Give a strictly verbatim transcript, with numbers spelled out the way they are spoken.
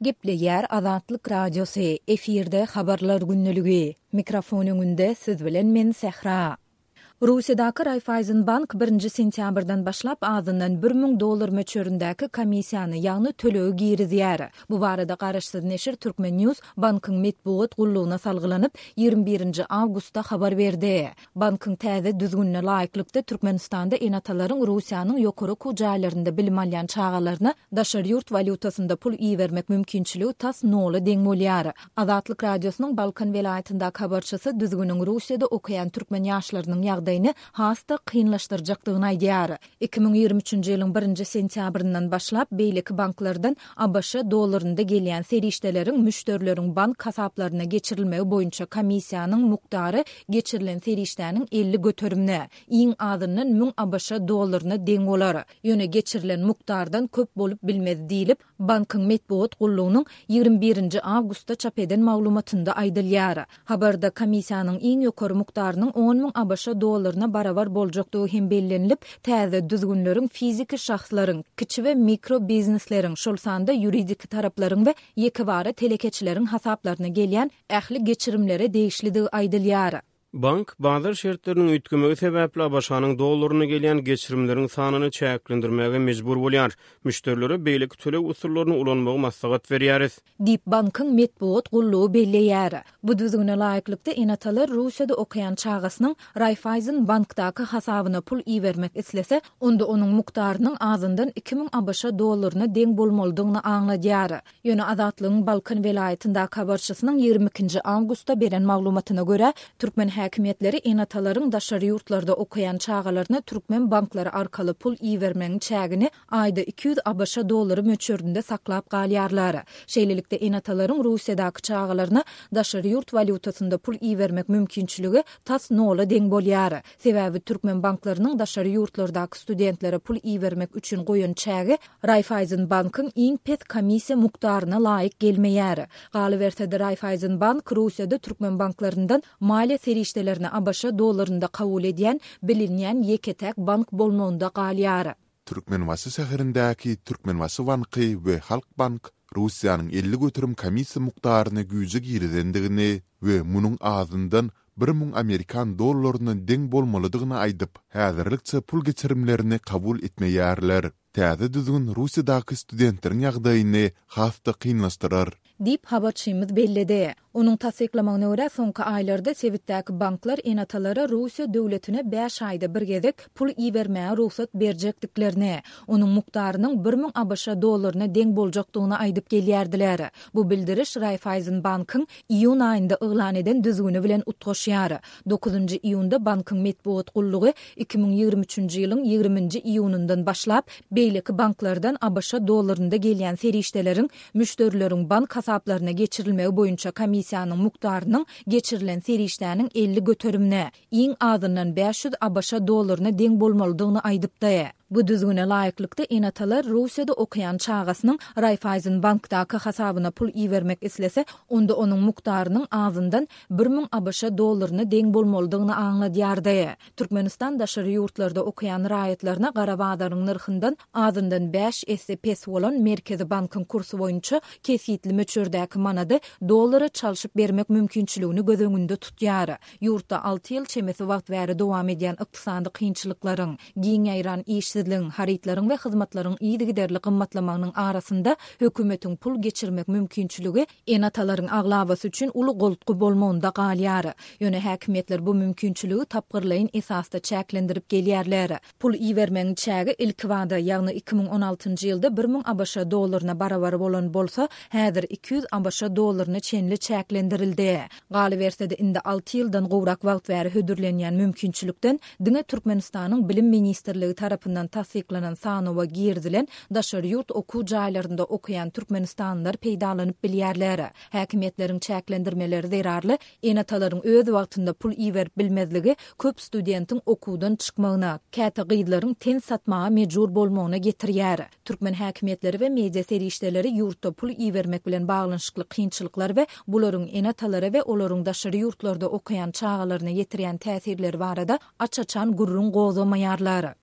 Gepleýär Azatlyk Radiosy, efirde Habarlar gündeligi. Mikrofon öňünde siz bilen men Sähra. Russiýadaky Raiffeisenbank birinji sentýabrdan başlap azyndan bir müň dollar möçberindäki komissiýany, ýagny tölegi girizýär. Bu barada garaşsyz neşir Turkmen News bankyň metbugat gullugyna salgylanyp, ýigrimi birinji awgustda habar berdi. Bankyň täze düzgünine laýyklykda, Türkmenistanda ene-atalaryň Russiýanyň ýokary okuw jaýlarynda bilim alýan çagalaryna daşary ýurt walýutasynda pul ibermek mümkinçiligi tas nola deň bolýar. Azatlyk Radiosynyň Balkan welaýatyndaky habarçysy düzgüniň Russiýada okaýan türkmen ýaşlarynyň ýagdaýyny has-da kynlaşdyrjakdygyny aýdýar. Iki müň ýigrimi üçünji ýylyň birinji sentýabryndan başlap, beýleki banklardan ABŞ dollarynda gelýän serişdeleriň müşderileriň bank hasaplaryna geçirilmegi boýunça komissiýanyň mukdary geçirilen serişdäniň elli göterimine, iň azyndan müň ABŞ dollaryna deň bolar. Ýöne geçirilen mukdardan köp bolup bilmez diýlip, bankyň metbugat gullugynyň ýigrimi birinji awgustda çap eden maglumatynda aýdylýar. Habarda komissiýanyň iň ýokary mukdarynyň on müň ABŞ dollaryna barabar boljakdygy hem bellenilip, täze düzgünleriň fiziki şahslaryň, kiçi we mikro biznesleriň, şol sanda ýuridik taraplaryň we ýekebara telekeçileriň hasaplaryna gelýän ähli geçirimlere degişlidigi aýdylýar. Bank, bazar şertleriniň üýtgemegi sebäpli ABŞ-nyň dollaryna gelýän geçirimleriň sanyny çäklendirmäge mejbur bolýar. Müşderilere beýleki töleg usullaryny ulanmagy maslahat berýäris. Diýip, bankyň metbugat gullugy belleýär. Bu düzgüne laýyklykda, ene-atalar Russiýada okaýan çagasynyň Raiffeisen bankdaky hasabyna pul ibermek islese, onda onuň mukdarynyň azyndan iki müň ABŞ dollaryna deň bolmalydygyny aňladýar. Ýöne Azatlygyň Balkan welaýatyndaky habarçysynyň ýigrimi ikinji awgustda beren maglumatyna görä, türkmen häkimiýetleri ene-atalaryň daşary ýurtlarda okaýan çagalaryna türkmen banklary arkaly pul ibermegiň çägini aýda iki ýüz ABŞ dollary möçberinde saklap galýarlar. Şeýlelikde, ene-atalaryň Russiýadaky çagalaryna daşary ýurt walýutasynda pul ibermek mümkinçiligi tas nola deň bolýar. Sebäbi türkmen banklarynyň daşary ýurtlardaky studentlere pul ibermek üçin goýan çägi Raiffeisen bankyň iň pes komissiýa mukdaryna laýyk gelmeýär. Galyberse-de, Raiffeisen bank Russiýada türkmen banklaryndan maliýe serişdelerini ABŞ dollarynda kabul edýän bilinýän ýeke-täk bank bolmagynda galýar. Türkmenbaşy şäherindäki Türkmenbaşy banky we Halkbank Russiýanyň elli göterim komissiýa mukdaryny güýje girizendigini we munuň azyndan bir müň amerikan dollaryna deň bolmalydygyny aýdyp, häzirlikçe pul geçirimlerini kabul etmeýärler. Täze düzgün Russiýadaky studentleriň ýagdaýyny has-da kynlaşdyrar. Diýip, habarçymyz belledi. Onuň tassyklamagyna görä, soňky aýlarda sebitdäki banklar ene-atalara Russiýa döwletine bäş aýda bir gezek pul ibermäge rugsat berjekdiklerini, onuň mukdarynyň bir müň ABŞ dollaryna deň boljakdygyny aýdyp gelýärdiler. Bu bildiriş Raiffeisen bankyň iýun aýynda yglan eden düzgüni bilen utgaşýar. Dokuzynjy iýunda bankyň metbugat gullugy iki müň ýigrimi üçünji ýylyň ýigriminji iýunyndan başlap beýleki banklardan ABŞ dollarynda gelýän serişdeleriň müşderileriň bank hasaplaryna geçirilmegi boýunça komissiýanyň mukdarynyň geçirilen serişdäniň elli göterimine, iň azyndan bäş ýüz ABŞ dollaryna deň bolmalydygyny aýdypdy. Bu düzgüne laýyklykda, ene-atalar Russiýada okaýan çagasynyň Raiffeisen bankdaky hasabyna pul ibermek islese, onda onuň mukdarynyň azyndan bir müň ABŞ dollaryna deň bolmalydygyny aňladýardy. Türkmenistan daşary ýurtlarda okaýan raýatlaryna gara bazaryň nyrhyndan azyndan bäş esse pes bolan Merkezi bankyň kursy boýunça kesgitli möçberdäki manady dollara çalşyp bermek mümkinçiligini göz öňünde tutýar. Ýurtda alty ýyl çemesi wagt bäri dowam edýän ykdysady kynçylyklaryň, giň ýaýran işsizligiň, harytlaryň we hyzmatlaryň yzygiderli gymmatlamagynyň arasynda hökümetiň pul geçirmek mümkinçiligi ene-atalaryň aglabasy üçin uly goltgy bolmagynda galýar. Ýöne häkimiýetler bu mümkinçiligi tapgyrlaýyn esasda çäklendirip gelýärler. Pul ibermegiň çägi ilkibada, ýagny iki müň on altynjy ýylda bir müň ABŞ dollaryna barabar bolan bolsa, häzir iki ýüz ABŞ dollaryna çenli çäklendirildi. Galyberse-de, indi alty ýyldan gowrak wagt bäri hödürlenýän mümkinçilikden diňe Türkmenistanyň Bilim ministrligi tarapyndan tassyklanan sanawa girizilen daşary ýurt okuw jaýlarynda okaýan türkmenistanlylar peýdalanyp bilýärler. Häkimiýetleriň çäklendirmeleri zerarly ene-atalaryň öz wagtynda pul iberip bilmezligi köp studentiň okuwdan çykmagyna, käte gyzlaryň ten satmaga mejbur bolmagyna getirýär. Türkmen häkimiýetleri we media serişdeleri ýurtda pul ibermek bilen baglanyşykly kynçylyklar we bularyň ene-atalara we olaryň daşary ýurtlarda okaýan çagalaryna ýetirýän täsirleri barada aç-açan gürrüň gozgamaýarlar.